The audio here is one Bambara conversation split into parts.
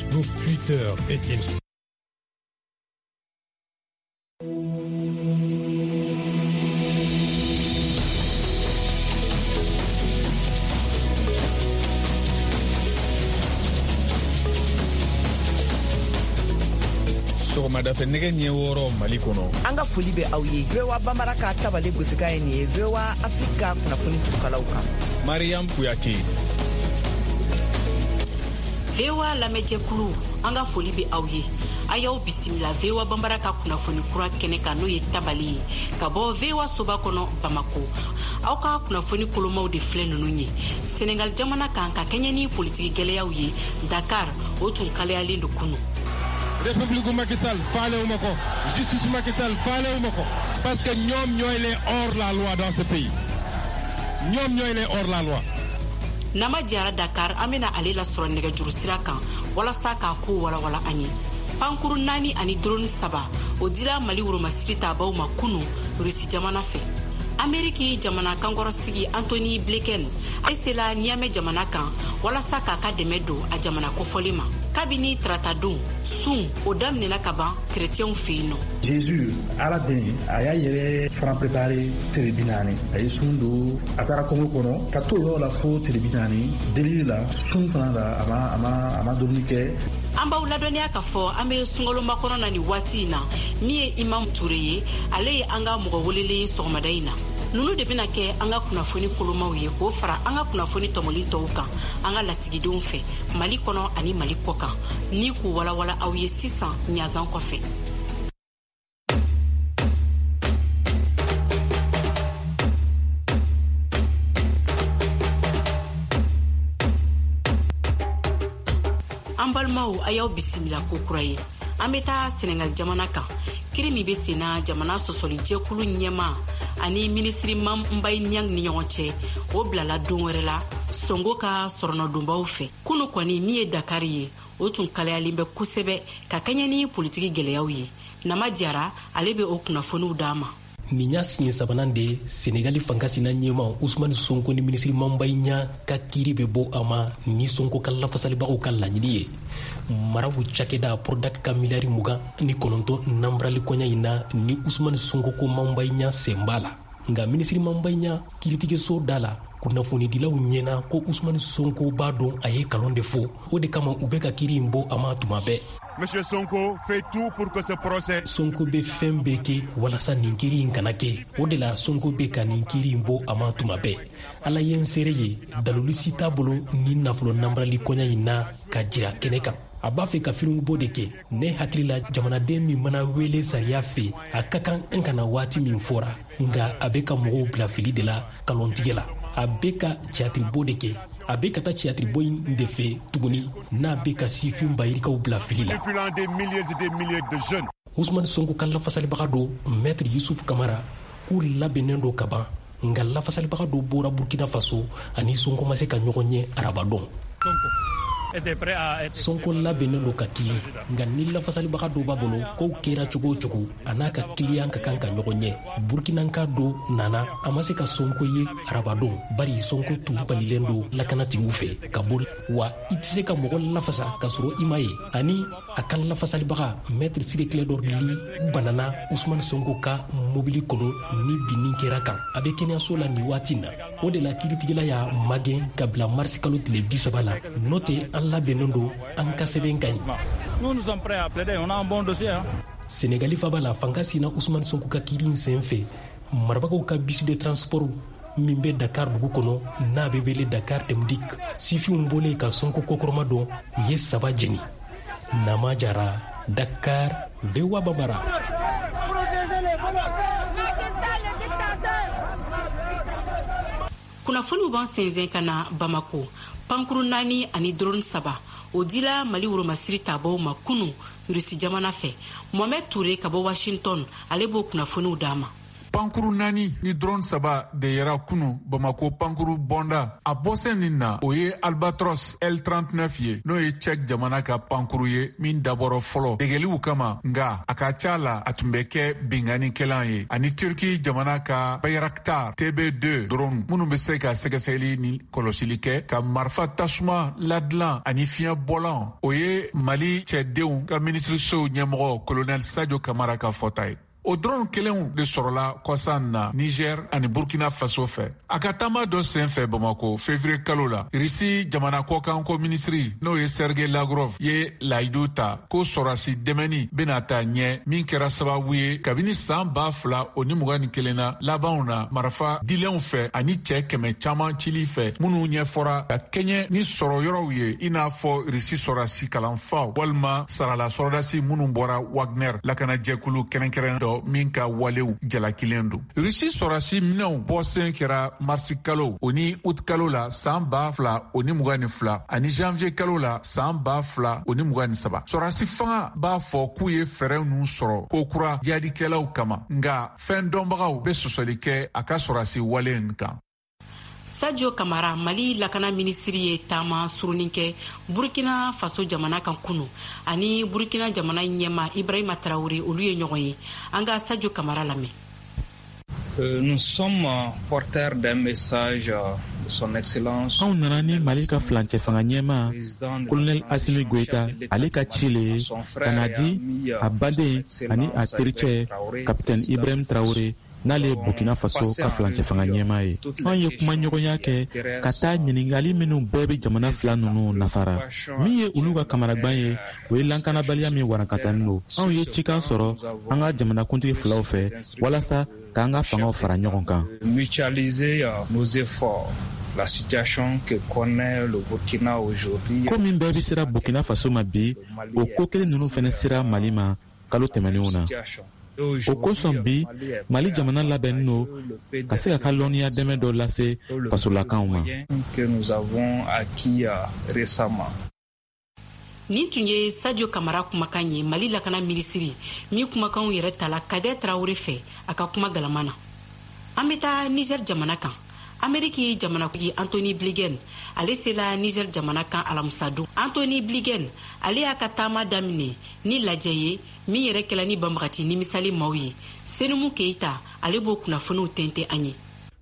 Facebook, Twitter et Instagram. Sɔgɔmada fɛ nɛgɛ ɲɛ 6 Mali kɔnɔ. An ka foli bɛ aw ye. VOA Bambara ka tabale gosikan ye nin ye. VOA Afrique ka kunnafoni turukalaw kan. Mariam Kuyate. VOA lamɛnjɛkulu, an ka foli bɛ aw ye. A y'aw bisimila VOA Bambara ka kunnafoni kura kɛnɛ kan, n'o ye tabale ye ka bɔ VOA soba kɔnɔ Bamako. Aw ka kunnafoni kolomaw de filɛ ninnu ye. Senegal jamana kan, ka kɛɲɛ ni politiki gɛlɛyaw ye, Dakar o tun kalayalen don kunu. République Macky Sall faalewuma ko, justice Macky Sall faalewuma ko, parce que ñoom ñooy les hors la loi dans ce pays, ñoom ñooy les hors la loi. Nama Jara Dakar, an bena ale lasɔrɔ nɛgɛjuru sira kan walasa k'a ko walawala an ye. Pankuru 4 ani drone 3, o dira Mali woromasiri tabaw ma kunu Rusi jamana fɛ. Ameriki jamana kankɔrɔsigi Antony Blinken a sela Niamey jamana kan walasa k'a ka dɛmɛ don a jamana kofɔlen ma. Kabini taratadon sun o daminɛna ka ban kerecɛnw fɛ yen nɔ. Jésus, Ala den, a y'a yɛrɛ fana préparé tile 40. A ye sun don, a taara kungo kɔnɔ ka to yɔrɔ la fo tile 40 delili la, sun fana la, a ma dumuni kɛ. An b'aw ladɔnniya k'a fɔ an be sunkaloba kɔnɔ na nin waati in na. Min ye Imam Ture ye, ale ye an ka mɔgɔ welelen ye sɔgɔmada in na. Nunu de bena kɛ an ka kunnafoni kolomaw ye, k'o fara an ka kunnafoni tɔmɔli tɔw kan an ka lasigidenw fɛ Mali kɔnɔ ani Mali kɔ kan, ni k'u walawala aw ye sisan ɲazan kɔfɛ. An balimaw, a y'aw bisimila ko kura ye. An bɛ taa Senegal jamana kan. Kiri min bɛ senna jamana sɔsɔlijɛkulu ɲɛma ani minisiri Mame Mbaye Niang ni ɲɔgɔn cɛ, o bilala don wɛrɛ la Sonko ka sɔrɔnɔdonbaw fɛ. Kunu kɔni, min ye Dakari ye, o tun kalayalen bɛ kosɛbɛ ka kɛɲɛ ni politiki gɛlɛyaw ye. Nama Jara, ale bɛ o kunnafoniw d'an ma. Nin y'a siɲɛ sabanan de Senegali fangasina ɲɛma Usumani Sonko ni minisiri Mame Mbaye Niang ka kiiri bɛ bɔ a ma ni Sonko ka lafasalibagaw ka laɲini ye. Maraw cakɛda Prodac ka miliyari 29 nanbarali kɔɲa in na, ni Usumani Sonko ko Mame Mbaye Niang sen b'a la. Nka minisiri Mame Mbaye Niang kiiritigɛso da la, kunnafonidilaw ɲɛna ko Usumani Sonko b'a dɔn a ye kalon de fɔ, o de kama u bɛ ka kiiri in bɔ a ma tuma bɛɛ. Monsieur Sonko fait tout pour que ce procès. Sonko bɛ fɛn bɛɛ kɛ walasa nin kiiri in kana kɛ. O de la Sonko bɛ ka nin kiiri in bɔ a ma tuma bɛɛ. Ala ye n seere ye, dalulu si t'a bolo ni nafolo nanbarali kɔɲa in na ka jira kɛnɛ kan. A b'a fɛ ka firimu de kɛ. Ne hakili la, jamanaden min mana wele sariya fɛ, a ka kan an kana waati min fɔra. Nka a bɛ ka mɔgɔw bila fili de la, kalontigɛ la. A bɛ ka tiyatiribɔ de kɛ. A bɛ ka taa tiyatiribɔ in de fɛ tuguni n'a bɛ ka sifin bayirikaw bila fili la. Manipulant des milliers et des milliers de jeunes. Usumani Sonko ka lafasalibaga dɔ, maître Yusuf Kamara, k'u labɛnnen don ka ban. Nka lafasalibaga dɔ bɔra Burkina Faso ani Sonko ma se ka ɲɔgɔn ye arabadon. Sonko labɛnnen don ka kili, nka ni lafasalibaga dɔ b'a bolo, kow kɛra cogo o cogo, a n'a ka kiliyan ka kan ka ɲɔgɔn ɲɛ. Burkinanka dɔ nana, a ma se ka Sonko ye arabadon, bari Sonko tun balilen don lakanatigiw fɛ ka bɔ. Wa i tɛ se ka mɔgɔ lafasa ka sɔrɔ i ma ye. Ani a ka lafasalibaga, maître Ciré Clédor Ly, banana Usumani Sonko ka mobili kɔnɔ ni binni kɛra kan. A bɛ kɛnɛyaso la nin waati na. O de la kiiritigɛla y'a magɛn ka bila marisi kalo tile 30 la. N'o tɛ, an labɛnnen don, an ka sɛbɛn ka ɲi. Nous, nous sommes prêts à plaider. On a un bon dossier. Hein? Senegali faba la, fanga sina Usumani Sonko ka kiiri in sen fɛ, marabagaw ka bus de transport min bɛ Dakar dugu kɔnɔ, n'a bɛ wele Dakar Dem Dikk, sifinw bɔlen ka Sonko kokɔrɔma dɔn, u ye saba jeni. Nama Jara, Dakar, VOA Bambara. Kunnafoniw b'an sɛnsɛn ka na Bamako. Pankuru 4 ani drone 3, o dila Mali woromasiri tabaw ma kunu Rusi jamana fɛ. Mohamed Toure ka bɔ Washington, ale b'o kunnafoniw d'an ma. Pankuru 4 ni drone 3 de yera kunu Bamako pankuru bɔnda. A bɔsɛn nin na, o ye Albatros L39 ye, n'o ye Tchèque jamana ka pankuru ye min dabɔrɔ fɔlɔ degeliw kama, nga a ka ca la a tun bɛ kɛ binkannikɛlan ye, ani Turki jamana ka Bayraktar TB2 drone minnu bɛ se ka sɛgɛsɛgɛli ni kɔlɔsili kɛ, ka marifa tasuma ladilan ani fiɲɛ bɔlan. O ye Mali cɛdenw ka minisiriso ɲɛmɔgɔ colonel Sadio Kamara ka fɔta ye. O drone kelenw de sɔrɔla kɔsan na Niger ani Burkina Faso fɛ. A ka taama dɔ sen fɛ Bamako février kalo la, Risi jamana kɔkanko minisiri, n'o ye Sergei Lavrov ye, layidu ta ko sɔrɔdasi dɛmɛni bɛna taa ɲɛ, min kɛra sababu ye kabini san 2021 na labanw na, marifa dilenw fɛ ani cɛ 100 caman cili fɛ, minnu ɲɛfɔra ka kɛɲɛ ni sɔrɔ yɔrɔw ye, i n'a fɔ Risi sɔrɔdasi kalanfaw walima sarala sɔrɔdasi minnu bɔra Wagner lakanajɛkulu kɛrɛnkɛrɛn dɔ min ka walew jalakilen don. Rusi sɔrɔdasi minɛnw bɔsen kɛra marisi kalo o ni ut kalo la san 2022 ani janvier kalo la san 2023. Sɔrɔdasi fanga b'a fɔ k'u ye fɛɛrɛ ninnu sɔrɔ ko kura jihadikɛlaw kama, nka fɛn dɔnbagaw bɛ sɔsɔli kɛ a ka sɔrɔdasi wale in kan. Sadio Kamara, Mali lakana minisiri, ye taama surunin kɛ Burkina Faso jamana kan kunu. Ani Burkina jamana ɲɛma Ibrahima Traoré, olu ye ɲɔgɔn ye. An ka Sadio Kamara lamɛn. Nous sommes porteurs d'un message de son excellence. Anw nana ni Mali ka filancɛ fanga ɲɛma Colonel Asimi Goïta, ale ka ci le ye ka na di a baden ani a tericɛ Capitaine Ibrahim Traoré, n'ale ye Burkina Faso ka filancɛ fanga ɲɛma ye. Anw ye kumaɲɔgɔnya kɛ ka taa ɲiningali minnu bɛɛ bɛ jamana fila ninnu nafara. Min ye olu ka kamanagwan ye, o ye lankanabaliya min warankatanin don. Anw ye cikan sɔrɔ an ka jamanakuntigi filaw fɛ walasa k'an ka fangaw fara ɲɔgɔn kan. Mutualiser nos efforts. La situation que connaît le Burkina aujourd'hui. Ko min bɛɛ bɛ sera Burkina Faso ma bi, o ko kelen ninnu fɛnɛ sera Mali ma kalo tɛmɛnenw na. O kosɔn bi, Mali jamana labɛnnen don ka se ka ka lɔnniya dɛmɛ dɔ lase fasolakaw ma. Que nous avons acquis récemment. Nin tun ye Sadio Kamara kumakan ye, Mali lakana minisiri min kumakanw yɛrɛ tala Kadɛ Tarawele fɛ a ka kuma galama na. An bɛ taa Niger jamana kan. Ameriki jamanatigi Antony Blinken, ale sela Niger jamana kan alamisadon. Antony Blinken, ale y'a ka taama daminɛ ni lajɛ ye min yɛrɛ kɛla ni banbagati nimisali maaw ye. Senumu Keita, ale b'o kunnafoniw tɛntɛ an ye.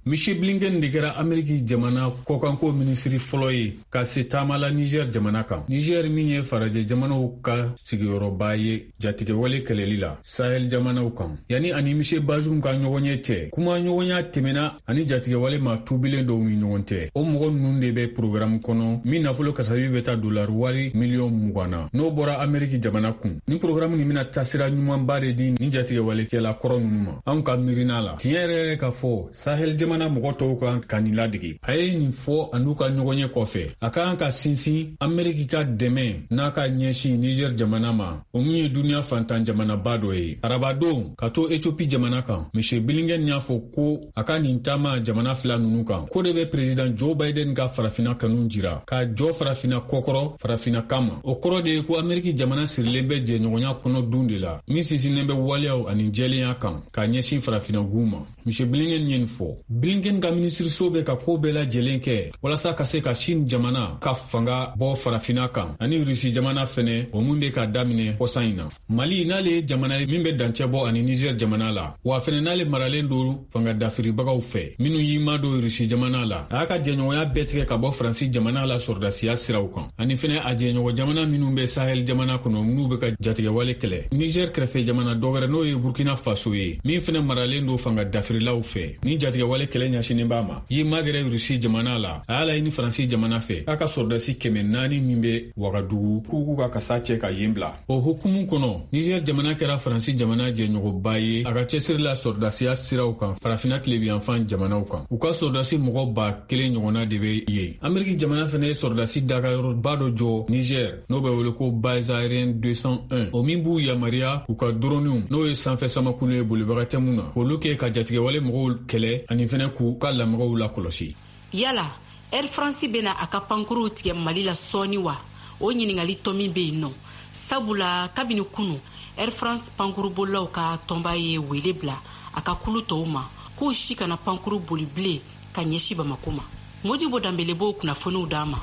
Monsieur Blinken de kɛra Ameriki jamana kɔkanko minisiri fɔlɔ ye ka se taama la Niger jamana kan. Niger min ye farajɛ jamanaw ka sigiyɔrɔba ye jatigɛwale kɛlɛli la Sahel jamanaw kan. Yani ani Monsieur Bazoum ka ɲɔgɔn ye cɛ, kuma ɲɔgɔnya tɛmɛna ani jatigɛwale ma tubilen dɔw ni ɲɔgɔn cɛ. O mɔgɔ ninnu de bɛ programme kɔnɔ min nafolo kasabi bɛ taa dolari wari miliyɔn 20 na, n'o bɔra Ameriki jamana kun. Ni programme nin bɛna taasira ɲumanba de di ni jatigɛwalekɛla kɔrɔ ninnu ma. Anw ka miirina la, tiɲɛ yɛrɛ yɛrɛ ka fɔ, Sahel jamana mɔgɔ tɔw kan ka nin ladege. A ye nin fɔ a n'u ka ɲɔgɔn ye kɔfɛ. A ka kan ka sinsin Ameriki ka dɛmɛ n'a ka ɲɛsin Niger jamana ma, o min ye duniɲa fantan jamanaba dɔ ye. Arabadon ka to Ethiopie jamana kan, Monsieur Blinken y'a fɔ ko a ka nin taama jamana fila ninnu kan ko de bɛ président Joe Biden ka farafina kanu jira, ka jɔ farafina kɔkɔrɔ farafina kama. O kɔrɔ de ye ko Ameriki jamana sirilen bɛ jɛɲɔgɔnya kɔnɔ dun de la min sinsinnen bɛ waleyaw ani jɛlenya kan ka ɲɛsin farafina gun ma. Monsieur Blinken ye nin fɔ. Blinken ka minisiriso bɛ ka ko bɛɛ lajɛlen kɛ walasa ka se ka Chine jamana ka fanga bɔ farafina kan, ani Rusi jamana fɛnɛ, o mun bɛ ka daminɛ kɔsan in na. Mali, n'ale ye jamana ye min bɛ dancɛ bɔ ani Niger jamana la, wa fɛnɛ n'ale maralen don fanga dafiribagaw fɛ minnu y'i madon Rusi jamana la, a y'a ka jɛɲɔgɔnya bɛɛ tigɛ ka bɔ Faransi jamana la sɔrɔdasiya siraw kan, ani fɛnɛ a jɛɲɔgɔn jamana minnu bɛ Sahel jamana kɔnɔ, n'u bɛ ka jatigɛwale kɛlɛ. Niger kɛrɛfɛ jamana dɔ wɛrɛ, n'o ye Burkina Faso ye, min fɛnɛ maralen don fanga dafirilaw fɛ ni jatigɛwale kɛlɛ ɲɛsinnen b'a ma, y'i magɛrɛ Rusi jamana la. A y'a laɲini Faransi jamana fɛ k'a ka sɔrɔdasi 400 min bɛ Wagadugu, k'u k'u ka kasa cɛ ka yen bila. O hukumu kɔnɔ, Niger jamana kɛra Faransi jamana jɛɲɔgɔnba ye a ka cɛsiri la sɔrɔdasiya siraw kan farafina tilebiyanfan jamanaw kan. U ka sɔrɔdasi mɔgɔ 1000 ɲɔgɔnna de bɛ yen. Ameriki jamana fɛnɛ ye sɔrɔdasi dagayɔrɔba dɔ jɔ Niger, n'o bɛ wele ko base aérienne 201, o min b'u yamaruya k'u ka droniw, n'o ye sanfɛ samakulu ye bolibaga tɛ mun na, k'olu kɛ ka jatigɛwale mɔgɔw kɛlɛ ani fɛnɛ k'u ka lamɔgɔw lakɔlɔsi. Yala Air France bɛna a ka pankuruw tigɛ Mali la sɔɔni wa? O ɲiningali tɔ min bɛ yen nɔ, sabula kabini kunu, Air France pankurubolilaw ka tɔnba ye wele bila a ka kulu tɔw ma k'u si kana pankuru boli bilen ka ɲɛsin Bamako ma. Modibo Danbele b'o kunnafoniw d'an ma.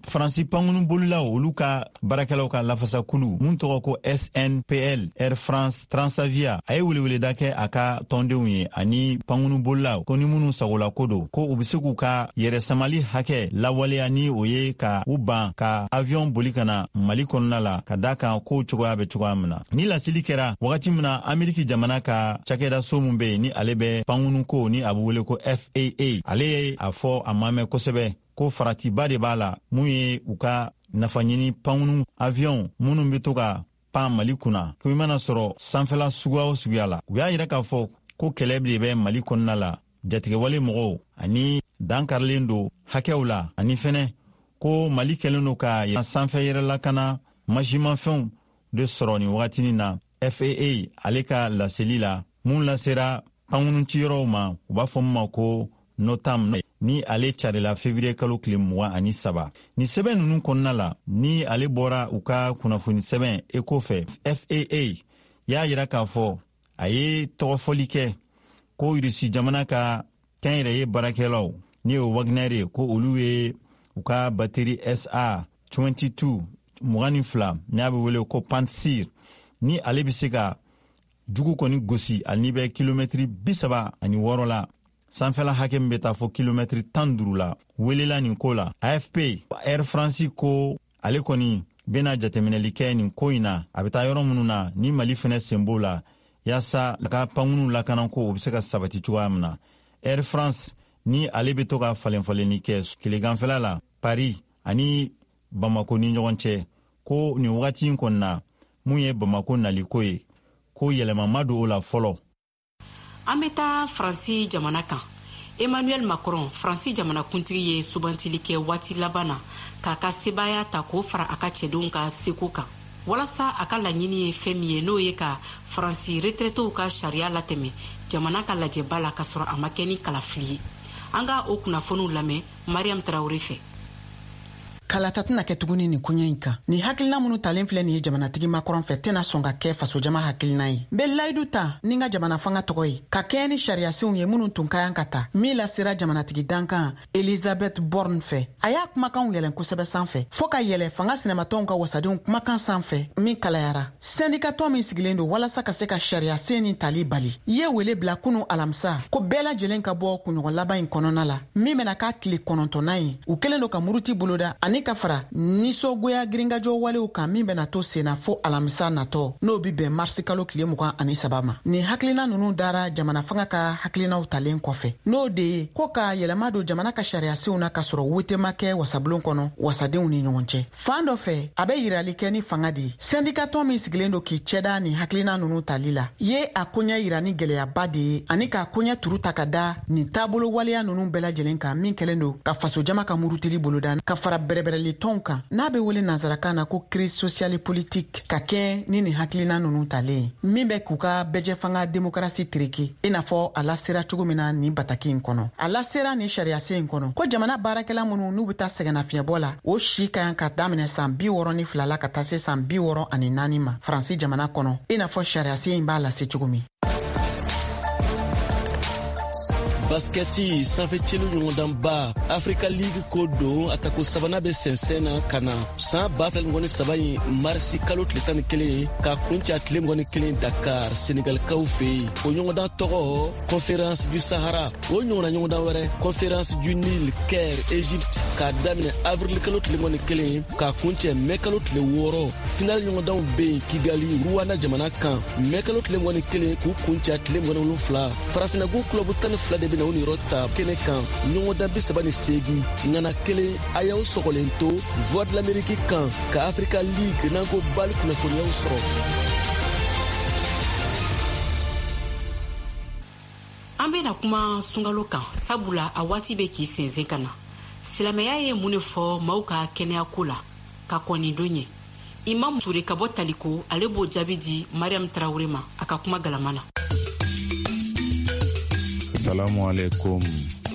Faransi pankurun bolilaw, olu ka baarakɛlaw ka lafasakulu mun tɔgɔ ko SNPL Air France Transavia, a ye weleweleda kɛ a ka tɔndenw ye ani pankurun bolilaw, ko ni minnu sagolako don, ko u be se k'u ka yɛrɛ samali hakɛ lawaleya, ni o ye ka u ban ka avion boli ka na Mali kɔnɔna la, ka da kan kow cogoya bɛ cogoya min na. Ni laseli kɛra wagati min na Ameriki jamana ka cakɛdaso min be yen, ni ale bɛ pankurun ko, ni a be wele ko FAA, ale ye a fɔ a ma mɛn kosɛbɛ ko faratiba de b'a la, mun ye u ka nafaɲini pankurun avion minnu bɛ to ka pan Mali kunna, ko i mana sɔrɔ sanfɛla suguya o suguya la. U y'a yira k'a fɔ ko kɛlɛ de bɛ Mali kɔnɔna la, jatigɛwale mɔgɔw ani dankarilen don hakɛw la, ani fɛnɛ ko Mali kɛlen don ka sanfɛ yɛrɛlakana masimafɛnw de sɔrɔ nin wagatinin na. FAA ale ka laseli la mun lasera pankurun ciyɔrɔw ma, u b'a fɔ min ma ko NOTAM, ni ale carila février kalo tile 23. Nin sɛbɛn ninnu kɔnɔna la, ni ale bɔra u ka kunnafoni sɛbɛn Eko fɛ, FAA y'a yira k'a fɔ a ye tɔgɔfɔli kɛ ko Irisi jamana ka kɛnyɛrɛye baarakɛlaw, ni o Wagner ye, ko olu ye u ka bateri SA 22 22, n'a bɛ wele ko Pantsir, ni ale bɛ se ka jugu kɔni gosi ani bɛ kilomɛtiri 36 la, sanfɛla hakɛ min bɛ taa fɔ kilomɛtiri 15 la, welela nin ko la. AFP Air France ko ale kɔni bɛna jateminɛli kɛ nin ko in na, a bɛ taa yɔrɔ minnu na ni Mali fɛnɛ sen b'o la, yaasa a ka pankurunw lakanako o bɛ se ka sabati cogoya min na. Air France ni ale bɛ to ka falen falenni kɛ tileganfɛla la Paris ani Bamako ni ɲɔgɔn cɛ, ko nin wagati in kɔni na, mun ye Bamako naliko ye, ko yɛlɛma ma don o la fɔlɔ. An bɛ taa Faransi jamana kan. Emmanuel Macron, Faransi jamanakuntigi, ye sugantili kɛ waati laban na k'a ka sebaaya ta k'o fara a ka cɛdenw ka seko kan, walasa a ka laɲini ye fɛn min ye, n'o ye ka Faransi retraitéw ka sariya latɛmɛ jamana ka lajɛba la, k'a sɔrɔ a ma kɛ ni kalafili ye. An ka o kunnafoniw lamɛn Mariam Tarawure fɛ. Kalata tɛna kɛ tuguni nin koɲɛ in kan. Nin hakilina minnu talen filɛ nin ye jamanatigi Macron fɛ tɛna sɔn ka kɛ fasojama hakilina ye. N bɛ layidu ta ni n ka jamana fanga tɔgɔ ye, ka kɛɲɛ ni sariyasenw ye minnu tun ka kan ka ta, min lasera jamanatigi dankan Elizabeth Borne fɛ. A y'a kumakanw yɛlɛn kosɛbɛ sanfɛ, fɔɔ ka yɛlɛ fanga sinamatɔnw ka wasadenw kumakan sanfɛ min kalayara. Sɛndikatɔn min sigilen don walasa ka se ka sariyasen nin tali bali ye wele bila kunu alamisa ko bɛɛ lajɛlen ka bɔ kunɲɔgɔn laban in kɔnɔna la, min bɛna k'a tile 9nan ye u kɛlen don ka muruti boloda, ani ka fara nisɔngoya girinkajɔ walew kan min bɛna to senna fo alamisa natɔ, n'o bi bɛn marisi kalo tile 23 ma. Nin hakilina nunu dara jamana fanga ka hakilinaw talen kɔfɛ, n'o de ye ko ka yɛlɛma don jamana ka sariyasenw na k'a sɔrɔ wote ma kɛ wasabulon kɔnɔ wasadenw ni ɲɔgɔn cɛ. Fan dɔ fɛ, a bɛ yirali kɛ ni fanga de ye. Sɛndikatɔn min sigilen don k'i cɛda nin hakilina nunu tali la ye a koɲɛ yira ni gwɛlɛyaba de ye, ani k'a koɲɛ turu ta ka da nin taabolo waleya nunu bɛɛ lajɛlen kan min kɛlen don ka fasojama ka murutili boloda, ka fara bɛrɛbɛrɛli tɔnw kan n'a bɛ wele nansarakan na ko crise sociale politique, ka kɛ ni nin hakilina nunu talen ye min bɛ k'u ka bɛjɛfanga demokarasi tereke, i n'a fɔ a lasera cogo min na nin bataki in kɔnɔ. A lasera nin sariyasen in kɔnɔ ko jamana baarakɛla minnu n'u bɛ taa sɛgɛnnafiɲɛbɔ la, o si ka kan ka daminɛ san 62 la ka taa se san 64 ma Faransi jamana kɔnɔ, i n'a fɔ sariyasen in b'a lase cogo min. Baskɛti sanfɛ celu ɲɔgɔndanba Africa League ko don, a tako sabanan bɛ sɛnsɛn na ka na san 2023 in marisi kalo tile 11 ka kuncɛ tile 21 Dakar, Senegalikaw fɛ yen. O ɲɔgɔndan tɔgɔ Conférence du Sahara. O ɲɔgɔnna ɲɔgɔndan wɛrɛ, Conférence du Nil, Caire, Egypte, k'a daminɛ avril kalo tile 21 k'a kuncɛ mɛ kalo tile 6. Final ɲɔgɔndanw bɛ yen Kigali, Rwanda jamana kan, mɛ kalo tile 21 k'u kuncɛ tile 27. Farafinagun kulɔbu 12 de bɛna u niyɔrɔ ta kɛnɛ kan, ɲɔgɔndan 38, ŋana kelen. A y'aw sɔgɔlen to Voix de l'Amérique kan ka Africa League n'an ko BAL kunnafoniyaw sɔrɔ. An bɛna kuma sunkalo kan, sabula a waati bɛ k'i sɛnsɛn ka na. Silamɛya ye mun de fɔ maaw ka kɛnɛyako la ka kɔn nin don ɲɛ? Imam Ture ka bɔ Taliko, ale b'o jaabi di Mariam Tarawure ma a ka kuma galama na. Salamu alaikum,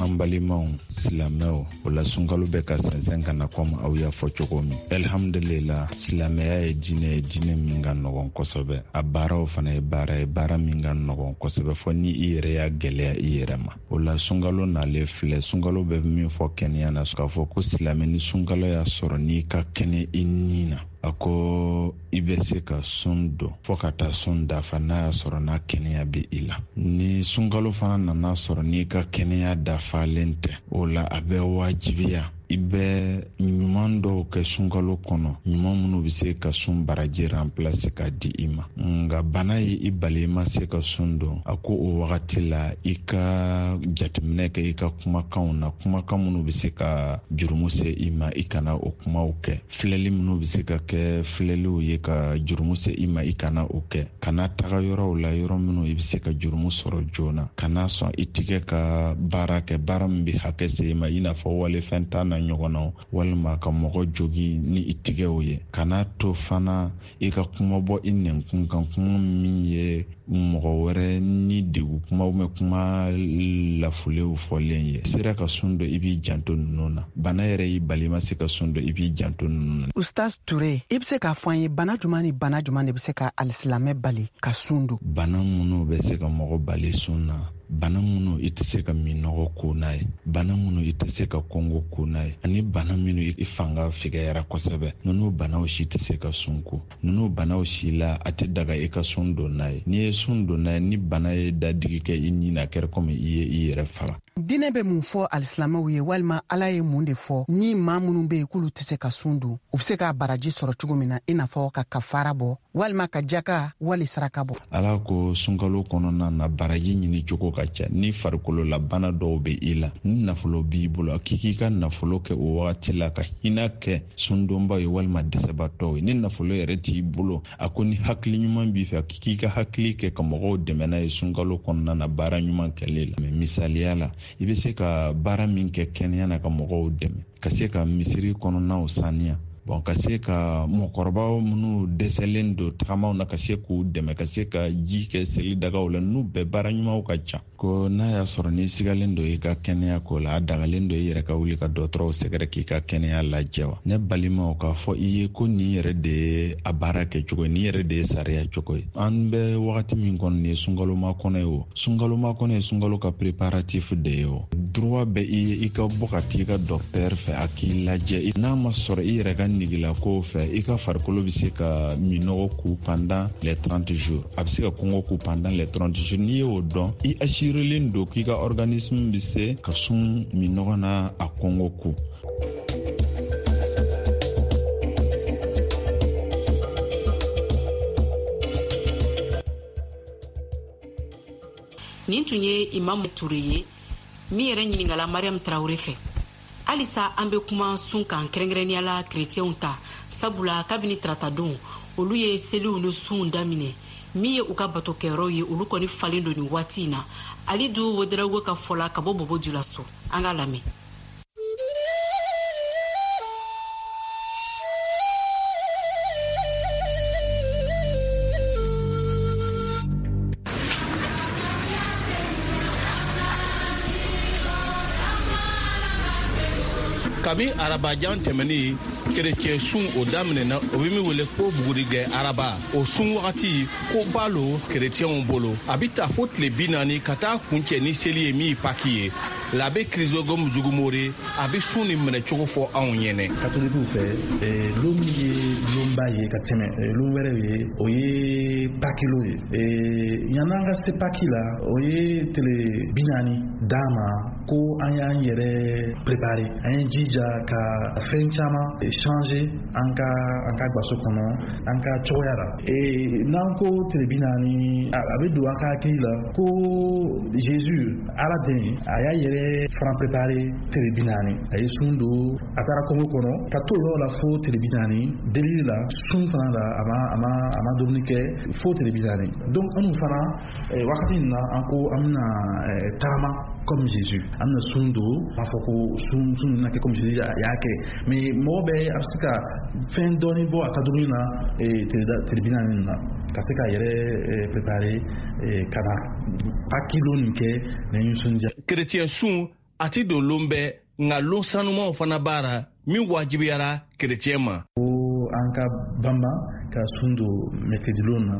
an balimaw. Silamɛw, o la sunkalo bɛ ka sɛnsɛn ka na komi aw y'a fɔ cogo min. Alhamdulila, silamɛya ye diinɛ ye, diinɛ min ka nɔgɔn kosɛbɛ. A baaraw fana ye baara ye, baara min ka nɔgɔn kosɛbɛ fɔ ni i yɛrɛ y'a gɛlɛya i yɛrɛ ma. O la sunkalo nalen filɛ, sunkalo bɛ min fɔ kɛnɛya na, k'a fɔ ko silamɛ ni sunkalo y'a sɔrɔ n'i ka kɛnɛ i ni na, a ko i bɛ se ka sun don fɔɔ ka taa sun dafa n'a y'a sɔrɔ n'a kɛnɛya bɛ i la. Ni sunkalo fana nana sɔrɔ n'i ka kɛnɛya dafalen tɛ, o la a bɛ wajibiya i bɛ ɲuman dɔw kɛ sunkalo kɔnɔ, ɲuman minnu bɛ se ka sun baraji remplacer ka di i ma. Nka bana ye i bali i ma se ka sun don, a ko o wagati la i ka jateminɛ kɛ i ka kumakanw na, kumakan minnu bɛ se ka jurumu se i ma, i kana o kumaw kɛ. Filɛli minnu bɛ se ka kɛ filɛliw ye ka jurumu se i ma, i kana o kɛ. Kana taga yɔrɔw la, yɔrɔ minnu i bɛ se ka jurumu sɔrɔ joona. Kana sɔn i tigɛ ka baara kɛ, baara min bɛ hakɛ se i ma, i n'a fɔ walifɛn ta na ɲɔgɔn na, walima ka mɔgɔ jogi ni i tigɛw ye. Kana to fana i ka kuma bɔ i nɛnkun kan, kuma min ye mɔgɔ wɛrɛ ni degun kuma ou bien kuma lafulenw fɔlen ye. Sera ka sun don, i b'i janto ninnu na. Bana yɛrɛ y'i bali i ma se ka sun don, i b'i janto ninnu na. Ustaz Ture, i bɛ se k'a fɔ an ye bana jumɛn ni bana jumɛn de bɛ se ka alisilamɛ bali ka sun don? Bana minnu bɛ se ka mɔgɔ bali sun na, bana minnu i tɛ se ka minnɔgɔ ko n'a ye, bana minnu i tɛ se ka kɔngɔ ko n'a ye, ani bana minnu i fanga fɛgɛyara kosɛbɛ, ninnu banaw si tɛ se ka sun ko. Ninnu banaw si la a tɛ daga i ka sun don n'a ye. N'i ye sun don n'a ye, ni bana ye dadigi kɛ i ni na, a kɛra komi i ye i yɛrɛ faga. Diinɛ bɛ mun fɔ alisilamɛw ye, walima Ala ye mun de fɔ ni maa minnu bɛ yen k'olu tɛ se ka sun don, u bɛ se ka baraji sɔrɔ cogo min na, i n'a fɔ ka kafara bɔ walima ka jaka wali saraka bɔ? Ala ko sunkalo kɔnɔna na baraji ɲini cogo ka ca. Ni farikololabana dɔw bɛ i la, ni nafolo b'i bolo, k'i k'i ka nafolo kɛ o wagati la ka hinɛ kɛ sundonbaw ye walima dɛsɛbaatɔw ye. Ni nafolo yɛrɛ t'i bolo, a ko ni hakili ɲuman b'i fɛ, k'i k'i ka hakili kɛ ka mɔgɔw dɛmɛ n'a ye sunkalo kɔnɔna na baara ɲuman kɛli la. Mais misaliya la, i bɛ se ka baara min kɛ kɛnɛya na ka mɔgɔw dɛmɛ, ka se ka misiri kɔnɔnaw saniya, bon, ka se ka mɔgɔkɔrɔbaw minnu dɛsɛlen don tagamaw na, ka se k'u dɛmɛ, ka se ka ji kɛ seli dagaw la, n'u bɛɛ baara ɲumanw ka ca. Ko n'a y'a sɔrɔ n'i sigalen don i ka kɛnɛya ko la, a dagalen don i yɛrɛ ka wuli ka dɔgɔtɔrɔw sɛgɛrɛ k'i ka kɛnɛya lajɛ wa? Ne balimaw, k'a fɔ i ye ko nin yɛrɛ de ye a baara kɛcogo ye, nin yɛrɛ de ye sariya cogo ye. An bɛ wagati min kɔnɔ, nin ye sunkaloma kɔnɔ ye o. Sunkaloma kɔnɔ ye sunkalo ka préparatif de ye o. Droit bɛ i ye i ka bɔ ka t'i ka docteur fɛ, a k'i lajɛ. N'a ma sɔrɔ i yɛrɛ ka negilako fɛ, i ka farikolo bɛ se ka minnɔgɔ ku pendant les 30 jours, a bɛ se ka kɔngɔ ku pendant les 30 jours. N'i y'o dɔn, i assurélen don k'i ka organisme bɛ se ka sun minnɔgɔ na a kɔngɔ ku. Nin tun ye Imam Ture ye min yɛrɛ ɲininkala Mariam Traoré fɛ. Halisa an bɛ kuma sun kan, kɛrɛnkɛrɛnnenya la kerecɛnw ta, sabula kabini taratadon olu ye seliw ni sunw daminɛ. Min ye u ka batokɛyɔrɔw ye, olu kɔni falen don nin waati in na. Alidu Wodarago ka fɔ la ka bɔ Bobo Julaso, an k'a lamɛn. Kabi arabajan tɛmɛni, kerecɛn sun o daminɛna, o bɛ min wele ko bugurigɛ araba. O sun wagati ko ba lo kerecɛnw bolo, a bɛ ta fo tile 40 ka taa kuncɛ ni seli ye min ye Paki ye. L'abbé Chrysogome Zugumore, a bɛ sun nin minɛcogo fɔ anw ɲɛnɛ. Katolikiw fɛ, lon min ye lonba ye ka tɛmɛ lon wɛrɛw ye, o ye Paki lon ye. Yann'an ka se Paki la, o ye tile 40 d'an ma ko an y'an yɛrɛ préparer, an ye jija ka fɛn caman changer an ka gaso kɔnɔ, an ka cogoya la. N'an ko tile 40, a bɛ don an ka hakili la ko Jésus, Ala den, a y'a yɛrɛ fana préparer tile 40. A ye sun don, a taara kungo kɔnɔ ka t'o yɔrɔ la fo tile 40 delili la, sun fana la, a ma dumuni kɛ fo tile 40. Donc anw fana wagati in na, an ko an bɛna taama comme Jésus, an bɛna sun don, a fɔ ko sun bɛna kɛ comme Jésus y'a kɛ. Mais mɔgɔ bɛɛ a bɛ se ka fɛn dɔɔni bɔ a ka dumuni na tile 40 nin na, ka se k'a yɛrɛ préparer ka na Paki lon nin kɛ ni nisɔndiya. Kerecɛn sun a ti don lon bɛɛ. Nka lon sanumaw fana b'a ra min wajibiyara kerecɛn ma. Ko an ka banban ka sun don mercredi lon na,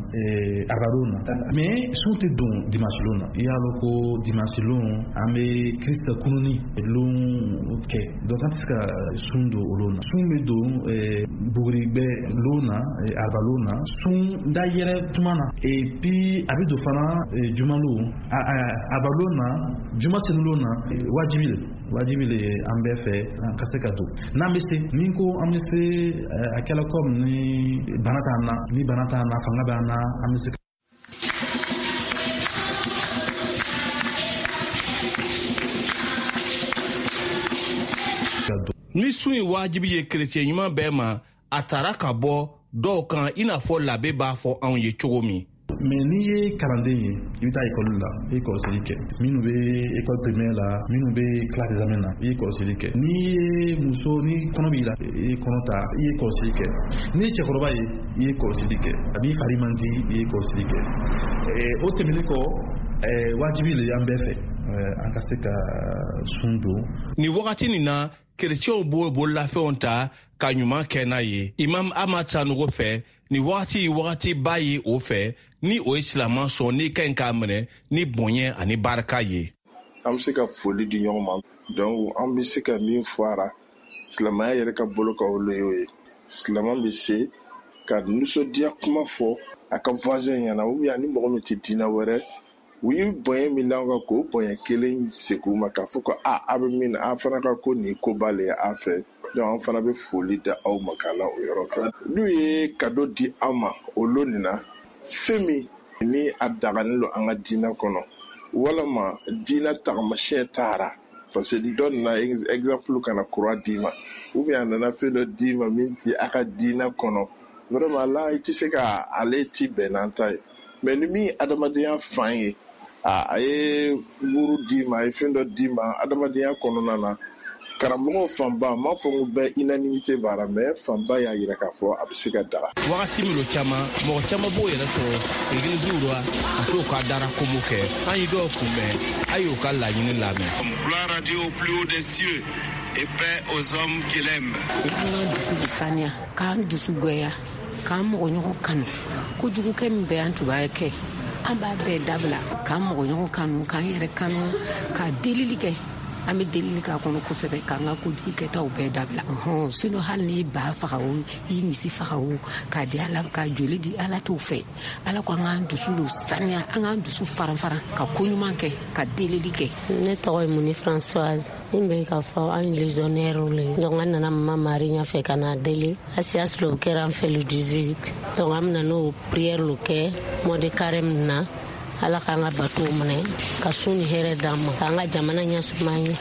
araba lon na, mais sun tɛ don dimanche lon na. I y'a lɔn ko dimanche lon an bɛ Christ kununi lon kɛ, donc an tɛ se ka sun don o lon na. Sun bɛ don buguribɛ lon na, araba lon na, sun da yɛrɛ tuma na, et puis a bɛ don fana juma lon, araba lon na, juma senu lon na, wajibi le. Wajibi le an bɛɛ fɛ an ka se ka don n'an bɛ se. Ni ko an bɛ se, a kɛla comme ni bana t'an na, ni bana t'an na, fanga b'an na, an bɛ se. Ni sun ye wajibi ye kerecɛn ɲuman bɛɛ ma, a tara ka bɔ dɔw kan, i n'a fɔ labe b'a fɔ anw ye cogo min. Mais n'i ye kalanden ye, i bɛ taa ekɔli la, i ye kɔlɔsili kɛ. Minnu bɛ école primaire la, minnu bɛ classe d'examen na, i ye kɔlɔsili kɛ. N'i ye muso, ni kɔnɔ b'i la, i ye kɔnɔ ta, i ye kɔlɔsili kɛ. N'i ye cɛkɔrɔba ye, i ye kɔlɔsili kɛ. A b'i fari man di, i ye kɔlɔsili kɛ. O tɛmɛnen kɔ, wajibi le an bɛɛ fɛ an ka se ka sun don. Nin wagati nin na, kerecɛnw b'o bololafɛnw ta ka ɲuman kɛ n'a ye. Imam Ahmad Sanogo fɛ, nin wagati ye wagatiba ye o fɛ, ni o ye silaman sɔn n'i ka ɲi k'a minɛ ni bonya ani barika ye. An bɛ se ka foli di ɲɔgɔn ma, donc an bɛ se ka min fɔ a ra silamɛya yɛrɛ ka bolo kan, o le y'o ye. Silamɛ bɛ se ka nisɔndiya kuma fɔ a ka voisin ɲɛna, ou bien ni mɔgɔ min tɛ diinɛ wɛrɛ, u ye bonya min d'an kan, k'o bonya kelen segin u ma, k'a fɔ ko a a bɛ min na, a fana ka ko nin koba le ye a fɛ. Donc an fana bɛ foli da aw ma k'a la o yɔrɔ kan. N'u ye cadeau di an ma o lon nin na, fɛn min ni a daganen don an ka diinɛ kɔnɔ, walama diinɛ tagamasiyɛn taara, parce que dɔ nana exemple ka na croix d'i ma, ou bien a nana fɛn dɔ d'i ma min ti a ka diinɛ kɔnɔ, vraiment là i tɛ se ka ale ti bɛn n'an ta ye. Mais ni min ye adamadenya fan ye, a ye wuru d'i ma, a ye fɛn dɔ d'i ma adamadenya kɔnɔna na, karamɔgɔw fanba, n m'a fɔ ko bɛɛ unanimité b'a la, mais fanba y'a yira k'a fɔ a bɛ se ka daga. Wagati minnu caman, mɔgɔ caman b'o yɛrɛ sɔrɔ egiliziw la ka t'o ka dara komo kɛ. An ye dɔw kunbɛn, a y'o ka laɲini lamɛn. Gloire à Dieu au plus haut des cieux et paix aux hommes qui l'aiment. An k'an dusu de saniya, k'an dusu goya, k'an mɔgɔ ɲɔgɔn kanu. Kojugukɛ min bɛ an tun b'a kɛ, an b'a bɛɛ dabila, k'an mɔgɔ ɲɔgɔn kanu, k'an yɛrɛ kanu, ka delili kɛ. An bɛ delili k'a kɔnɔ kosɛbɛ, k'an ka kojugu kɛtaw bɛɛ dabila. Sinon hali n'i ba faga o, i misi faga o, k'a di Ala, ka joli di Ala t'o fɛ. Ala ko an k'an dusu lo saniya, an k'an dusu faran-faran, ka ko ɲuman kɛ, ka delili kɛ. Ne tɔgɔ ye Muni Françoise. Min bɛ k'a fɔ an légionnaire le. Donc an nana Mama Marie ɲɛfɛ ka na deli. Asias lo kɛra an fɛ le 18. Donc an bɛna n'o prière lo kɛ mois de carême na. Ala k'an ka batow minɛ, ka sun ni hɛrɛ d'an ma, k'an ka jamana ɲɛsuma an ye.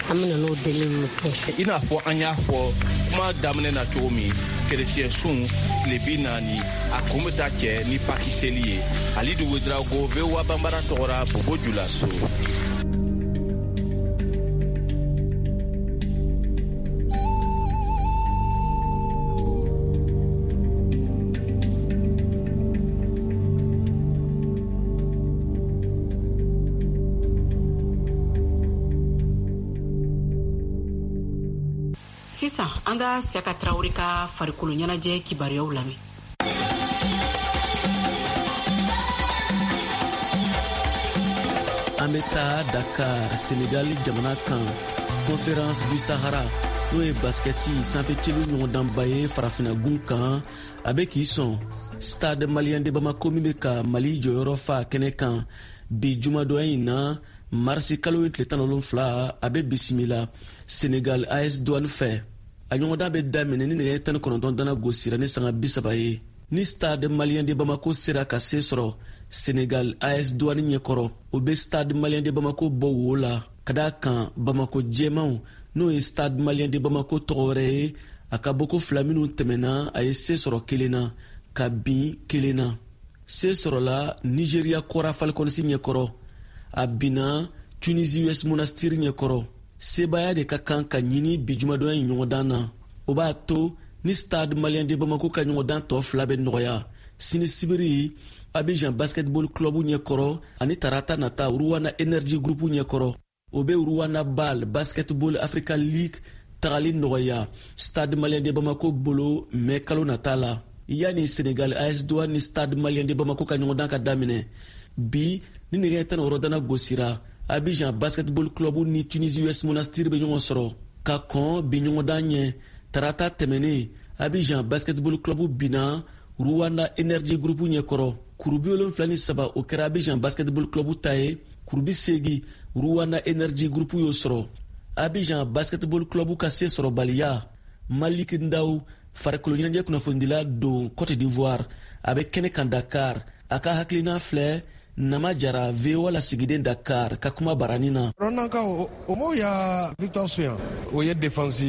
An bɛna n'o deliliw kɛ. I n'a fɔ an y'a fɔ kuma daminɛ na cogo min, kerecɛn sun tile 40, a kun bɛ taa cɛ ni paki seli ye. Alidu Wedrago, VOA Banbara tɔgɔra Bobo Julaso. Sisan an ka Siyaka Tarawele ka farikolo ɲɛnajɛ kibaruyaw lamɛn. An bɛ taa Dakar, Senegal jamana kan, Conférence du Sahara, n'o ye baskɛti sanfɛcelu ɲɔgɔndanba ye farafinagun kan, a bɛ k'i sɔn Stade Malien de Bamako min bɛ ka Mali jɔyɔrɔ fa kɛnɛ kan bi jumadonya in na, marisi kalo ye tile 17, a bɛ bisimila Senegal AS Douane fɛ. A ɲɔgɔndan bɛ daminɛ ni nɛgɛ 19 dana gosira ni sanga 30 ye. Ni Stade Malien de Bamako sera ka se sɔrɔ Senegal AS Douane ɲɛkɔrɔ, o bɛ Stade Malien de Bamako bɔ wo la, ka d'a kan Bamako jɛmanw, n'o ye Stade Malien de Bamako tɔgɔ wɛrɛ ye, a ka bɔko fila minnu tɛmɛna, a ye se sɔrɔ kelen na, ka bin kelen na. Se sɔrɔla Nigeria Kɔra Falcons ɲɛkɔrɔ, a binna Tunisie US Monastir ɲɛkɔrɔ. Sebaaya de ka kan ka ɲini bi jumadonya in ɲɔgɔndan na. O b'a to ni Stade Malien de Bamako ka ɲɔgɔndan tɔ fila bɛ nɔgɔya sini sibiri Abidjan Basketball Club ɲɛkɔrɔ ani tarata nata Rwanda Energy Group ɲɛkɔrɔ. O bɛ Rwanda BAL Basketball Africa League tagali nɔgɔya Stade Malien de Bamako bolo mɛ kalo nata la. Yanni Senegal AS Douane ni Stade Malien de Bamako ka ɲɔgɔndan ka daminɛ bi, ni nɛgɛ 16 dana gosira, Abidjan Basketball Club ni Tunisie US Monastir bɛ ɲɔgɔn sɔrɔ. Ka kɔn bi ɲɔgɔndan ɲɛ, tarata tɛmɛnen, Abidjan Basketball Club binna Rwanda Energy Group ɲɛkɔrɔ. Kuru 73, o kɛra Abidjan Basketball Club ta ye, kuru 80, Rwanda Energy Group y'o sɔrɔ. Abidjan Basketball Club ka se sɔrɔbaliya, Malik Ndaw, farikolo ɲɛnajɛ kunnafonidila don Cote d'Ivoire, a bɛ kɛnɛ kan Dakar, a ka hakilina filɛ Nama Jara, VOA lasigiden Dakar, ka kuma barani na. Rwandakaw o m'o ya victoire suyan, o ye défense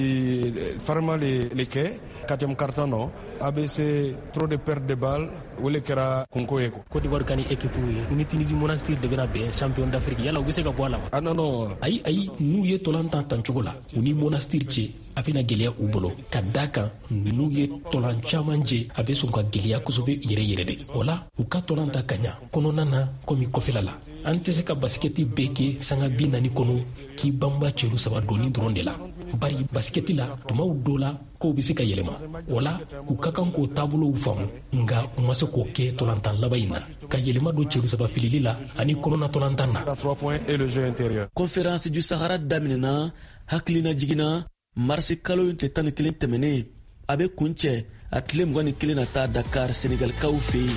farima le kɛ quatrième quart-temps nɔ. ABC, trop de perte de balle, o le kɛra kunko ye. Côte d'Ivoire ka ni équipe ye, ni Tunisie Monastir de bɛna bɛn champion d'Afrique, yala u bɛ se ka bɔ a la wa? Ah non non. Ayi ayi, n'u ye tolan tan tancogo la, u ni Monastir cɛ, a bɛna gɛlɛya u bolo, ka da kan n'u ye tolan caman jɛ, a bɛ sɔn ka gɛlɛya kosɛbɛ yɛrɛ yɛrɛ de. O la, u ka tolan ta ka ɲa kɔnɔna na komi kɔfɛla la. An tɛ se ka basikɛti bɛɛ kɛ sanga 40 kɔnɔ k'i banba cɛru saba donni dɔrɔn de la, bari basikɛti la, tumaw dɔ la, kow bɛ se ka yɛlɛma. O la, u ka kan k'o taabolow faamu, nka u ma se k'o kɛ tolantan laban in na, ka yɛlɛma don cɛru saba filili la ani kɔnɔna tolantan na. Conférence du Sahara daminɛna hakilina jiginna marisi kalo in tile 11 tɛmɛnen, a bɛ kuncɛ a tile 21 nata Dakar, Senegalikaw fɛ yen.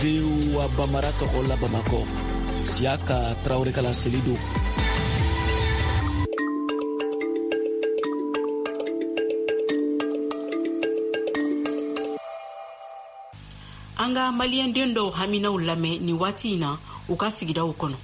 VOA Bambara tɔgɔ la Bamakɔ, Siyaka Tarawele ka laseli don. An ka maliyɛnden dɔw haminaw lamɛn nin waati in na u ka sigidaw kɔnɔ.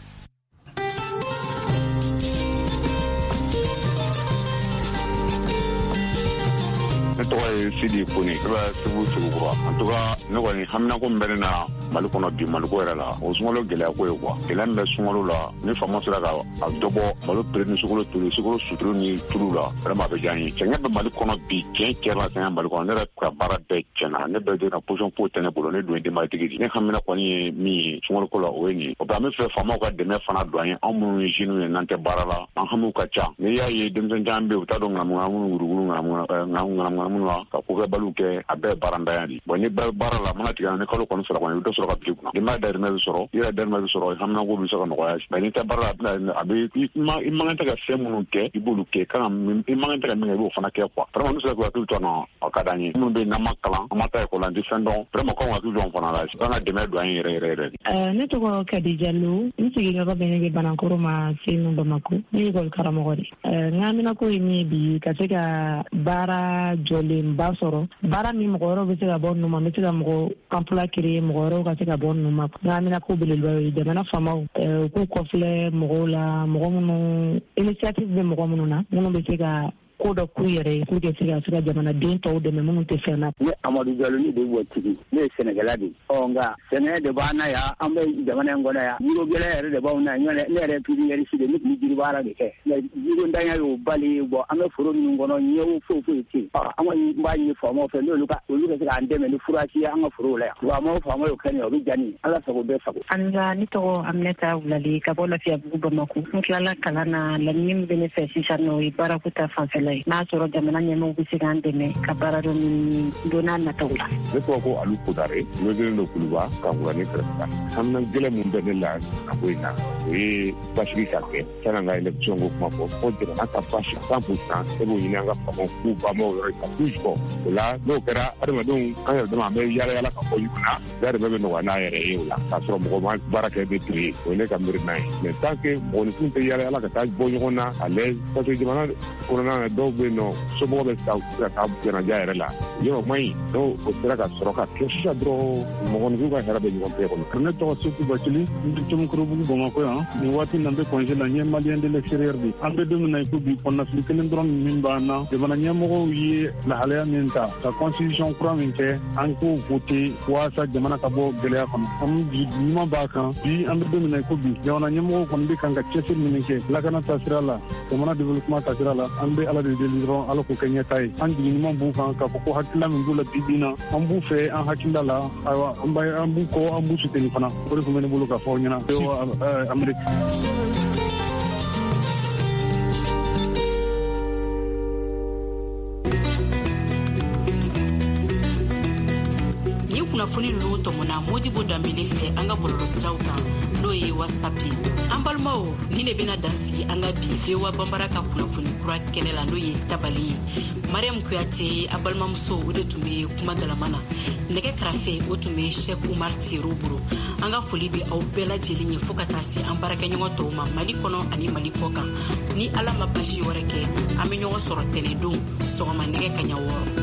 Ne tɔgɔ ye Sidi Kone, ne bɛ Segu, Segukura. En tout cas, ne kɔni haminako min bɛ ne na Mali kɔnɔ bi, Maliko yɛrɛ la, o sunkalo gɛlɛya ko ye quoi. Gɛlɛya min bɛ sunkalo la, ni faama sera ka a dɔ bɔ malo prix ni sukaro tulu, sukaro suturu ni tulu la, vraiment a bɛ diya n ye. Sɛgɛn bɛ Mali kɔnɔ bi, tiɲɛ tiɲɛ la, sɛgɛn Mali kɔnɔ. Ne yɛrɛ ka baara bɛɛ tiɲɛna, ne bɛɛ donna position foyi tɛ ne bolo, ne dun ye denbayatigi de. Ne hamina kɔni ye min ye sunkalo ko la, o ye nin ye. O bɛ an bɛ fɛ faamaw ka dɛmɛ fana don an ye, anw minnu ye jeunes ye n'an tɛ baara la, an hamiw ka ca. N'i y'a ye denmisɛn caman bɛ yen, u t'a dɔn ŋanamu wuruguru ŋanamu la ka kokɛbaliw kɛ, a bɛɛ ye baarantanya de. Bon, ni bɛɛ baara la, mana tigɛ ni kalo kɔni sara kɔni, i bɛ dɔ sɔrɔ ka bila i kunna, denbaya dahirimɛ bɛ sɔrɔ, i yɛrɛ dahirimɛ bɛ sɔrɔ, haminako bɛ se ka nɔgɔya. Mais n'i tɛ baara la, a bɛ i man kan tɛ ka fɛn minnu kɛ, i b'olu kɛ, kan i man kan tɛ ka min kɛ, i b'o fana kɛ quoi. Vraiment, n'u sera k'u hakili to an na, a ka d'an ye. Minnu bɛ yen n'an ma kalan, an ma taa ekɔli la, an tɛ fɛn dɔn, vraiment k'anw hakili to an fana la, an ka dɛmɛ don an ye yɛrɛ yɛrɛ yɛrɛ. Ne tɔgɔ Kadi Jalo, n sigiyɔrɔ bɛnnen bɛ Banankoro ma Senu, Bamako. Ne ye ekɔli karamɔgɔ de. N ka haminako ye min ye bi, ka se ka baara jɔlenba sɔrɔ, baara min mɔgɔ wɛrɛw bɛ se ka bɔ ninnu ma, n bɛ se ka mɔgɔ emploi créer, mɔgɔ wɛrɛw ka se ka bɔ ninnu ma. N ka haminako belebeleba ye jamana faamaw u k'u kɔfilɛ mɔgɔw la, mɔgɔ minnu initiative bɛ mɔgɔ minnu na, minnu bɛ se ka ko dɔ k'u yɛrɛ ye pour que se ka se ka jamanaden tɔw dɛmɛ minnu tɛ fɛn na. Ne Amadu Jalo, ne de bɔ tigi, ne ye sɛnɛkɛla de ye. Ɔ nka sɛnɛ de b'an na yan, an bɛ jamana in kɔnɔ yan, yiro gɛlɛn yɛrɛ de b'anw na yan. Ne yɛrɛ ye pépiniériste de, ne tun bɛ jiri baara de kɛ, nka jirintanya y'o bali. Bɔ an bɛ foro minnu kɔnɔ, ɲɛwo foyi foyi tɛ yen. An kɔni b'a ɲini faamaw fɛ, n'olu ka olu ka se k'an dɛmɛ ni furasi ye an ka forow la yan. Faamaw faamaw y'o kɛ nin ye, o bɛ diya ne ye. Ala sago bɛɛ sago. Anisa, ne tɔgɔ Aminata Wulale, ka bɔ Lafiyabugu, Bamako. N tilala kalan na, laɲini min bɛ ne fɛ sisan nɔ, o ye baarako ta fanfɛla ye. N'a sɔrɔ jamana ɲɛmɔgɔw bɛ se k'an dɛmɛ ka baara dɔ ɲini don n'a nataw la. Ne tɔgɔ ko Alu Kodare, ne den don Kuluba, Kankurani kɛrɛfɛ. Hamina gɛlɛn mun bɛ ne la a ko in na, o ye basigi ka kɛ. Sanni an ka élection ko kuma fɔ, fo jamana ka basi 100%, e b'o ɲini an ka faamaw k'u banbaw yɔrɔ ka k'u jɔ. O la n'o kɛra, adamadenw an yɛrɛ dama an bɛ yala yala ka bɔ ɲɔgɔn na, dahirimɛ bɛ nɔgɔya n'a yɛrɛ ye o la, k'a sɔrɔ mɔgɔ ma baara kɛ ni tile ye. O ye ne ka miirina ye. Mais tant que mɔgɔninfin tɛ yala yala ka taa bɔ ɲɔgɔn na à l'aise, parce que jamana kɔnɔna na dɔw bɛ yen nɔ, somɔgɔw bɛ taa ka taa jɛnajɛ yɛrɛ la, yɔrɔ man ɲi. N'o o sera ka sɔrɔ ka kɛ sisan dɔrɔn, mɔgɔninfin ka hɛrɛ bɛ ɲɔgɔn bɛɛ kɔnɔ. Ne tɔgɔ Seku Bacili, n bɛ Tomikɔrɔbugu, Bamakɔ yan. Nin waati na, n bɛ congé la, n ye malien de l'extérieur de. An bɛ don min na i ko bi, kɔnɔnafili kelen dɔrɔn min b'an na, jamana ɲɛmɔgɔw ye lahalaya min ta ka constitution kura min kɛ, an k'o voter walasa jamana ka bɔ gɛlɛya kɔnɔ. An jigi ɲuman b'a kan bi. An bɛ don min na i ko bi, jamana ɲɛmɔgɔw kɔni bɛ kan ka cɛsiri minnu kɛ lakana taasira la, jamana développement taasira la, an bɛ Ala de deli dɔrɔn, Ala k'o kɛ ɲɛta ye. An jigi ɲuman b'u kan k'a fɔ ko hakilila min b'u la bi bi in na, an b'u fɛ an hakilila la. Ayiwa, an b'u kɔ, an b'u soutenir fana. O de tun bɛ ne bolo ka fɔ aw ɲɛna Amérique. kunnafoni ninnu tɔmɔna Modibo Danbele fɛ an ka bɔlɔlɔsiraw kan, n'o ye WhatsApp ye. An balimaw, nin de bɛna dan sigi an ka bi VOA Banbara ka kunnafoni kura kɛnɛ la, n'o ye tabali ye. Mariam Kuyate, a balimamuso, o de tun bɛ kuma galama na. Nɛgɛ karafe, o tun bɛ Cheikh Umar Tiro bolo. An ka foli bɛ aw bɛɛ lajɛlen ye, fo ka taa se an baarakɛɲɔgɔn tɔw ma Mali kɔnɔ ani Mali kɔ kan. Ni Ala ma basi wɛrɛ kɛ, an bɛ ɲɔgɔn sɔrɔ tɛnɛdon sɔgɔma nɛgɛ kaɲa 6.